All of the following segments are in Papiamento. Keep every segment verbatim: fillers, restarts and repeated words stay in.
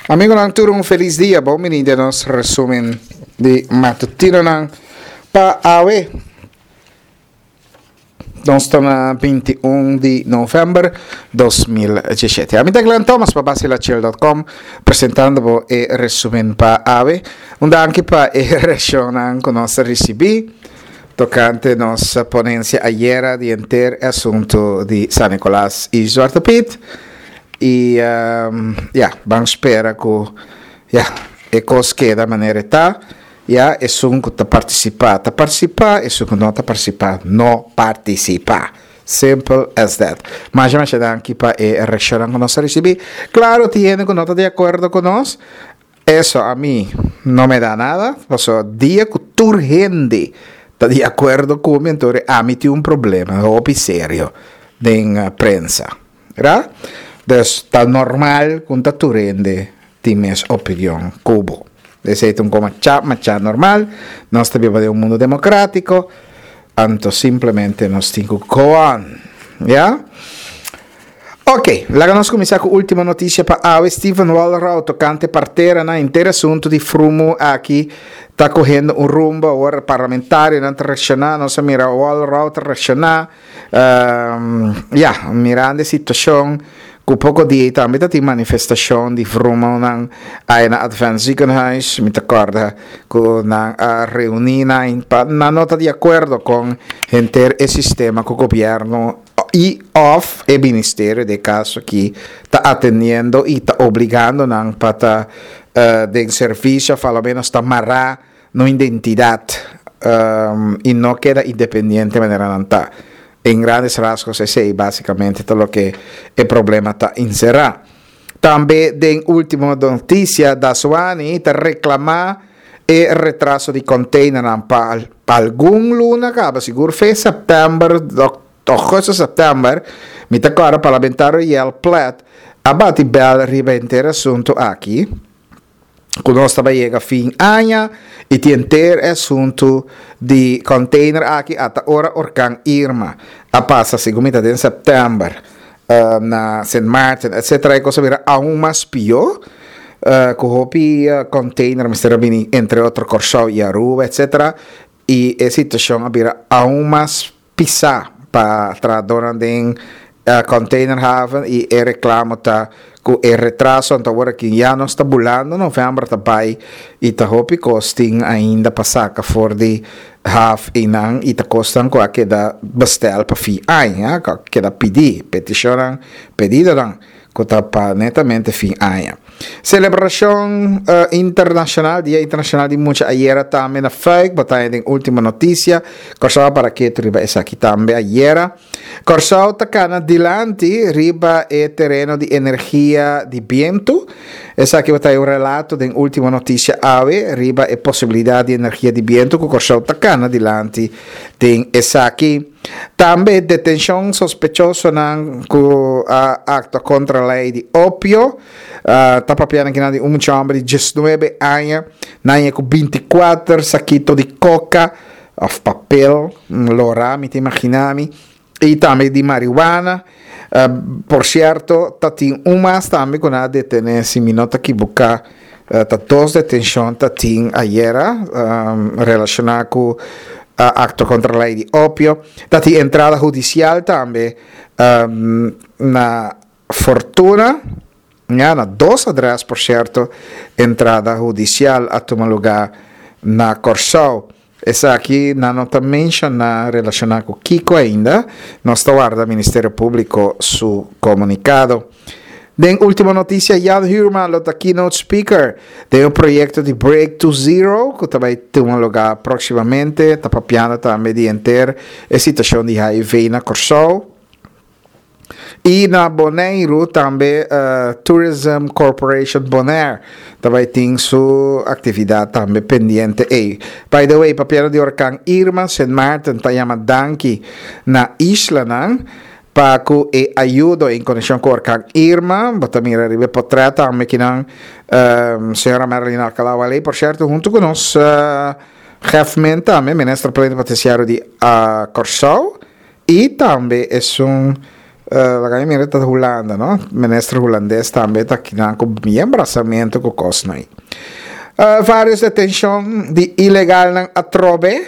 Amigonan tur un felis dia, bon bini den nos resumen di matutinonan pa awe. Nos ta na binti un di november dos mil diesshete. Ami ta Glenn Thomas pa Basilachel dot com presentando bo e resumen pa awe. Un danki pa e reaccionnan cu nos a ricibi tocante nos ponencia ayera di enter e asunto di San Nicolas y Zwarte Piet. Y, um, ja, ban spera cu, ja, e cos keda manera ta. Ja, esun cu ta participa, ta participa, esun cu no ta participa, no participa. Simple as that. Masha, masha danki pa e reaccionan cu nos a ricibi. Claro, tin hende cu no ta di acuerdo cu nos. Eso a mi no me da nada. Paso dia cu tur hende ta di acuerdo cu mi, entonces a mi tin un problema hopi serio den, eh, prensa. ¿Verdad? Dus ta normal cu ta tur hende tin mes opinion cubo. Esey ta un coma cha, macha normal. Nos ta biba den un mundo democrático. Anto simplemente nos tin cu go on. Ja? Ok, laga nos cuminsa cu ultima noticia pa awe. Steven Walrau tocante partera na inter asunto di Frumu aki ta cogiendo un rumbo ahora parlamentario nan reacciona, nos mira Walrau reacciona, um, ja, mirando situacion cu poco dia tambe ta tin manifestacion di Frumu nan ay na Advent Ziekenhuis, mi ta acorda cu nan a reuni na in pa, na nota di acuerdo con enter e sistema cu gobierno y of e ministerio de caso que ta atendiendo y ta obligando nan pa ta, eh, den servicio, of a lo menos ta marra no identidad, um, y no queda independiente manera nan ta. En grandes rasgos ese básicamente todo lo que el problema está encerrado. También den última noticia, Daswani ta reclama e retraso di container pa, pa algun luna acaba, seguro fe september, agosto, september, mi ta agora parlamentario Yel Plet, abati bel riba intero asunto aki, ku nos taba llega fin aña, y tin enter asunto di container aki ata ora orkan Irma, a pasa segun mi ta den september, uh, na Saint Martin, etcétera, e cosa bira aún mas pior, uh, ku hopi, uh, container mester bini entre otro Kòrsou y Aruba, etcétera, y e situacion a bira aún mas pisa pa trahadornan den, uh, container haven, y e reclamo ta ku e retraso, anto agora que ya no está bulando, november ta bai, y ta hopi costing ainda pa saca for di haf inan, y ta costan ku a queda bestel pa fi aña, ku a queda pidi, peticionan, pedidonan, ku ta pa netamente fin aña. Celebracion, uh, internacional, Dia Internacional di Mucha ayera tambe na F U I C, batalla den última noticia, Kòrsou para que riba esaki tambe ayera. Kòrsou ta kana dilanti riba e tereno di energia di biento. Esaki ta un relato den última noticia awe riba e posibilidad di energia di biento ku Kòrsou ta kana dilanti den esaki. Tambe detencion sospechoso nan ku a acto contra ley di opio. Uh, ta papiando aki di un homber di diesnuebe aña, nan ku binticuater saquito di coca of papel, lora, mi ta imaginami, y tambe di marihuana. Uh, por cierto, ta tin un mas tambe ku a detene, si mi no ta equivoca, uh, ta dos detencion ta tin ayera, um, relaciona ku uh, acto contra ley di opio. Ta tin entrada judicial tambe, um, na Fortuna, ja, na dos adres, por cierto, entrada judicial a tuma lugar na Kòrsou. Esaki nan no ta menciona relaciona cu Kiko ainda, nos ta warda Ministerio Publico su comunicado. Den última noticia, Jan Huurman, lo ta keynote speaker de un proyecto di Break to Zero, cu tambe ta tuma lugar proximamente, ta papiando tambe di enter e situacion di H I V na Kòrsou. Y na Boneiru tambe, uh, Tourism Corporation Bonaire tambe tin su actividad tambe pendiente. Hey, by the way, papiando di orkan Irma, Saint Martin ta yama danki na islanan pa ku e ayudo en conexión cu orkan Irma. Bo ta mira riba portret tambe akinan, um, señora Marilyn Alcalá-Wallé, por cierto, hunto cu nos, uh, jefe tambe, minister plenipotenciario di, uh, Kòrsou, y tambe e un Uh, laga mi mira, ta Hulanda, no? Minister hulandes tambe ta aki ku bien brasamentu ku kos ei. Uh, varios detenshon di ilegal atrobe,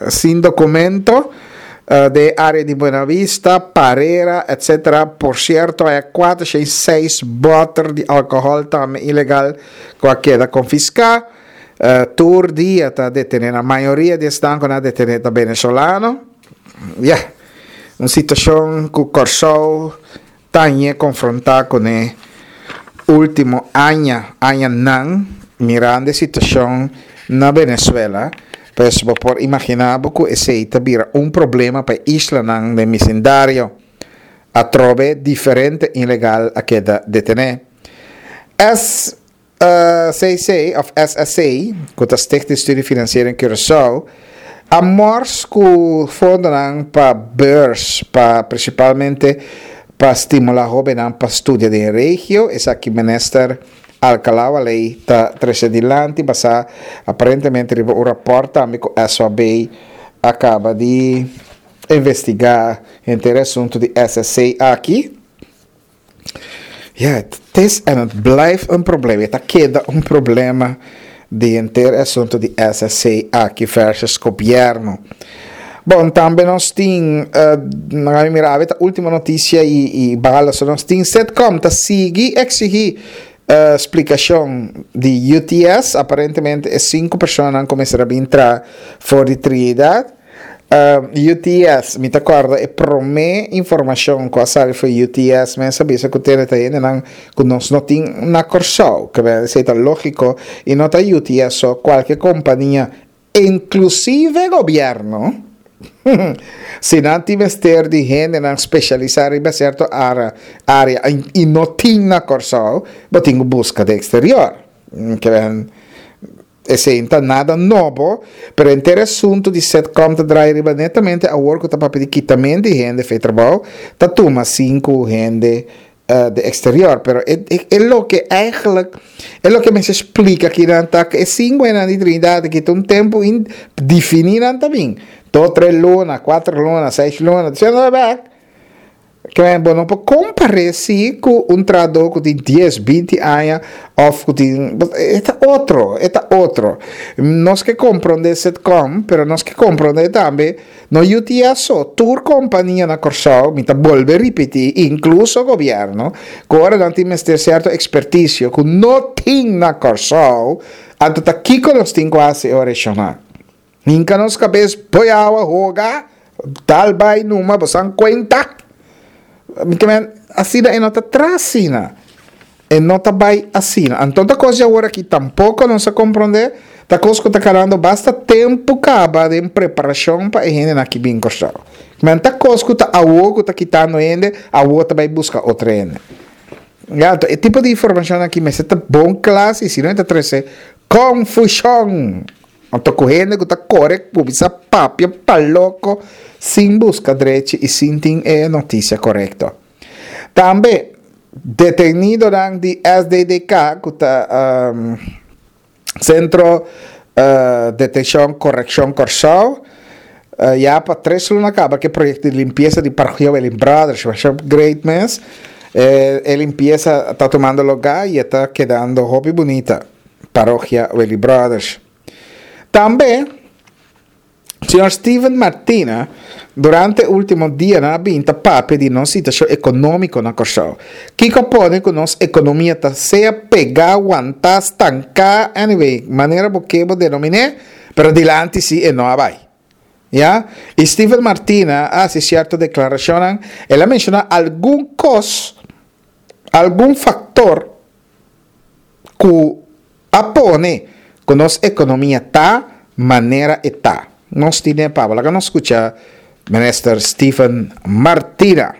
sin dokumento, uh, di área di Buena Vista, Parera, et cetera. Por sierto, e kuater, seis bòter di alkohòl tambe ilegal ku a keda konfiská. Uh, tur dia ta detené, mayoria di esnan ku a detené ta venezolano. Yeah. Un situashon ku Kòrsou ta konfrontá kuné último aña, añanan, mirando e situashon na Venezuela, pues bo por imaginá ku esei ta bira un problema pa e islanan den bisindario. Atrobe diferente ilegal a keda detené. S C C òf S S C, ku ta Stichting Studie Financiering Curaçao, a mors ku fondonan pa beurs, pa prinsipalmente pa stimulá hóbennan pa studia den regio. Esaki minister Alcalá-Wallé ta trese dilanti, basá aparentemente riba un rapport tambe ku S O B a kaba di investigá henter asuntu di S S C aki. Ja, het is en het blijft een probleem. Het keda un problema di henter asuntu di S S C aki versus gobièrnu. Bon, tambe nos tin, uh, mira, e último notisia i, i bala, so nos tin Sitcom, ta sigui eksigí uh, splikashon di U T S. Aparentemente e sinku persona a kuminsá entra for di Trinidad. Uh, U T S, mi ta kòrda e promé informashon ku a sali for di U T S, mes a bisa ku tin hendenan ku nos no tin na Kòrsou, ku ta lógiko, i no ta U T S so, kualke kompania, inklusive gobièrnu, si nan tin mester di hendenan spesialisá den sierto área, área i no tin na Kòrsou, bo tin ku buska den eksterior. Ke men, esei no ta nada nobo, pero henter asuntu di Sitcom ta drai riba netamente awor ku ta papia di kitamentu di hende fo'i trabou, ta tuma sinku hende uh, di eksterior, pero e, e, e loke eigenlijk e loke mi a splika aki nan ta e sinku na di Trinidad ku un tempu indefiní nan tambe. Dos, tres luna, kuater luna, seis luna, disiendo bèk. Ke men, bo no por kompará si ku un trahadó ku tin dies, binti aña òf ku tin, e ta otro, e ta otro. Nos ke komprondé Sitcom, pero nos ke komprondé tambe no U T S so, tur kompania na Kòrsou, mi ta bolbe ripití, inkluso gobièrnu, ku ora nan tin mester sierto ekspertisio ku no tin na Kòrsou, anto ta kiko nos tin ku hasi regional. Hinka nos kabes bou awa, hoga, dal bai numa, bo kuenta. Ke men, asina e no ta traha asina. E no ta bai asina. Anto ta kos awor aki tampoko no sa komprondé, ta kos ku ta kanando basta tempu kaba di preparashon pa e hendenan aki bin Kòrsou. Men ta kos ku ta awor ku ta kitando hende, awor ta bai buska otro hende. Ja, anto, e tipo di informashon aki mester ta bon kla, si no ta trese konfushon. Anto ku hende ku ta kore, kuminsá papia pa loko, sin buska drechi i sin tin e notisia korekto. Tambe, detenidonan di S D D K, ku ta um, Sentro uh, Detenshon Korekshon Kòrsou, uh, ya pa tres luna kaba ku e proyekto di limpiesa di Parokia Welling Brothers, masha great mes. Eh, e limpiesa ta tumando lugá i ta kedando hopi bunita. Parokia Welling Brothers. Tambe, señor Steven Martina, durante último dianan a bin ta papia di nos situashon ekonómiko na Kòrsou. Kiko pone ku nos ekonomia ta sea pegá, wantá, stanká, anyway, manera bo ke bo denominá, pero dilanti si e no a bai. Ja? I Steven Martina a hasi sierto deklarashon, el a menshoná algun kos, algun faktor ku a pone ku nos ekonomia ta manera e ta. Nos tin pa, laga nos skucha Minister Steven Martina.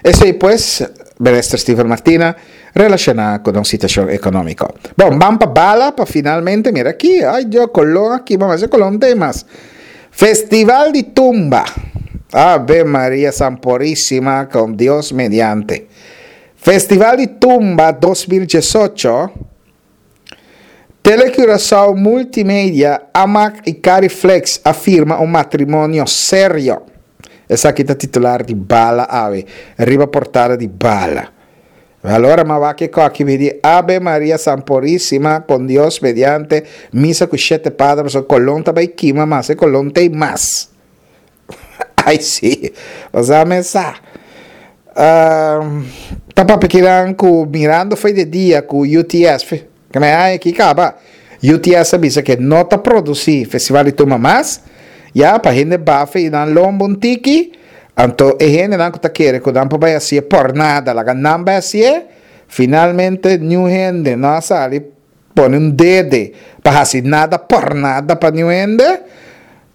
Esei pues, Minister Steven Martina, relashoná ku e situashon ekonómiko. Bon, ban pa bala pa finalmente, mira aki, ai Dios, Colón aki, ban hasi Colón temas. Festival di Tumba. Ave Maria Sanpurísima, con Dios mediante. Festival di Tumba dos mil diesocho. Telecuraçao Multimedia, Amak i Cariflex a firma un matrimonio serio. Esaki ta titular di Bala awe, riba portada di Bala. Allora m'a wak e koki mi di Ave Maria Sanpurísima con Dios mediante misa ku shete pader pasobra kolon ta bai kima mas e kolon t'ei mas. Ai si, bo sa mes sa. Ta papia kinan ku mirando foi de dia ku U T S, ke me aña aki kaba, U T S a bisa ke no ta produsí Festival di Tumba mas, ya pa hende bafa i nan lomba un tiki, anto e hendenan ku ta kere ku nan por bai hasié por nada, laga nan bai hasié, finalmente niun hende no a sali pone un dede pa hasi nada por nada pa niun hende,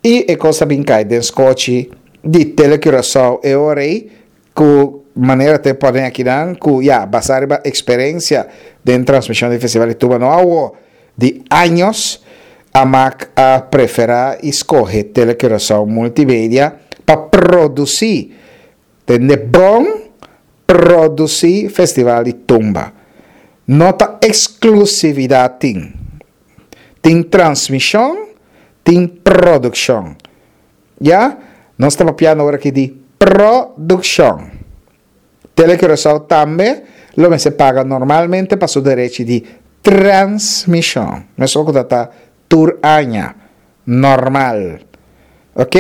i e kos a bin kai den skochi di Telecuraçao e ora ei ku manera te pone akinan ku ya basá riba eksperensia den transmishon di Festival di Tumba no awo di años, Amak a preferá i skohe Telecuraçao Multimedia pa produsí, tende bon, produsí Festival di Tumba. No ta eksklusividat tin. Tin transmishon, tin produkshon. Ya? Nos ta papiando awor aki di produkshon. Telecuraçao tambe lo mester paga normalmente pa su derechi di transmishon. Meskos ku ta tur aña. Normal. Ok?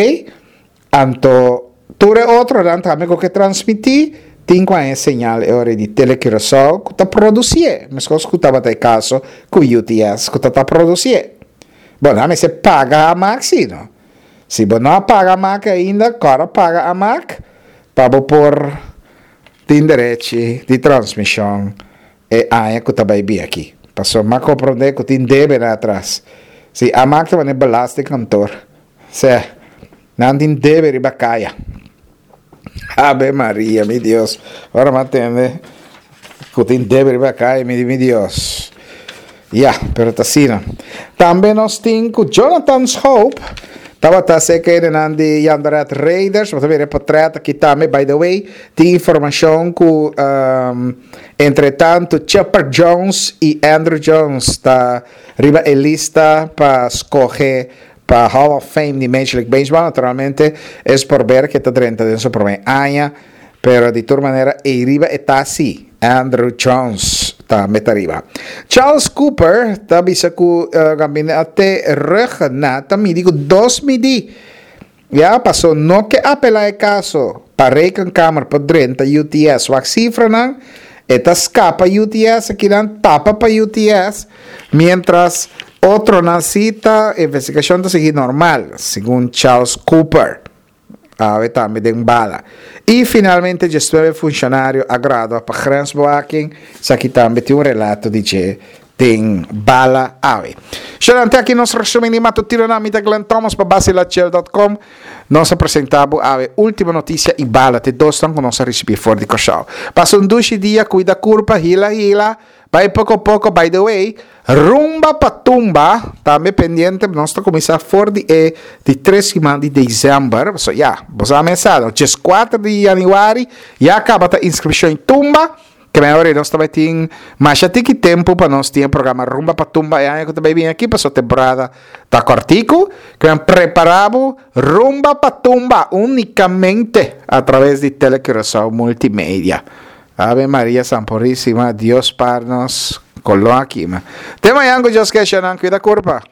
Anto, tur e otronan tambe ku ke transmití, tin ku haña señal e ora di Telecuraçao ku ta produsié. Meskos ku tabata e kaso ku U T S ku ta ta produsié. Bon, nan mester paga Amak sí, no? Si bo no a paga Amak ainda, kòrda paga Amak pa bo por tin derechi di transmishon e aña ku ta bai bin aki. Pasobra m'a komprondé ku tin debe nan atras. Si Amak ta manera belastingkantoor. Se, nan tin debe riba kaya. Ave Maria, mi Dios. Ora m'a tende ku tin debe riba kaya, mi, mi Dios. Ya, pero ta asina. Tambe nos tin ku Jonathan Schoop. Tabata serka di Jandoret Raiders. Bo ta mira portrèt aki tambe, by the way. Tin informashon ku um, entre tantu Chipper Jones i Andruw Jones ta riba e lista pa skohe pa Hall of Fame di Major League Baseball. Naturalmente, es por ver ku ta drenta den su promé aña, pero di tur manera, e riba ta asina. Andruw Jones tambe ta riba. Charles Cooper ta bisa ku uh, gabinete Rhuggenaath ta midi ku dos midi. Ya pasó no ke apelá e kaso pa Rekenkamer pa drenta U T S wak sifranan e ta skapa U T S akinan tapa pa U T S mientras otronan sí ta investigashon ta sigui normal, segun Charles Cooper. Awe tambe den Bala. I finalmente diesnuebe funshonario a gradua pa grensbewaking. Esaki tambe tin un relato di dje den Bala awe. Durante aki nos resumí di matutino na mi ta Glenn Thomas pa basilachel punto com. Nos a presentá awe Ultimo Notisia i Bala te dos ku nos a risibí for di Kòrsou. Pasa un dushi dia, kuida kurpa, hila hila. Bai poko poko, by the way, Rumba pa Tumba, tambe pendiente, nos ta kuminsá for di, e, di tres siman di desèmber. So, ya, bo sa dieskuater di yanüari, ya kaba ta inskripshon Tumba, ke awor nos tambe tin masha tiki tempu pa nos tin programa Rumba pa Tumba e aña ku tambe bin aki, paso temporada ta kòrtiku, ke prepará Rumba pa Tumba únikamente a traves di Telecuraçao Multimedia. Ave Maria Sanpurísima, Dios par nos koló aki. Te mañan ku Dios ke, kuida kurpa.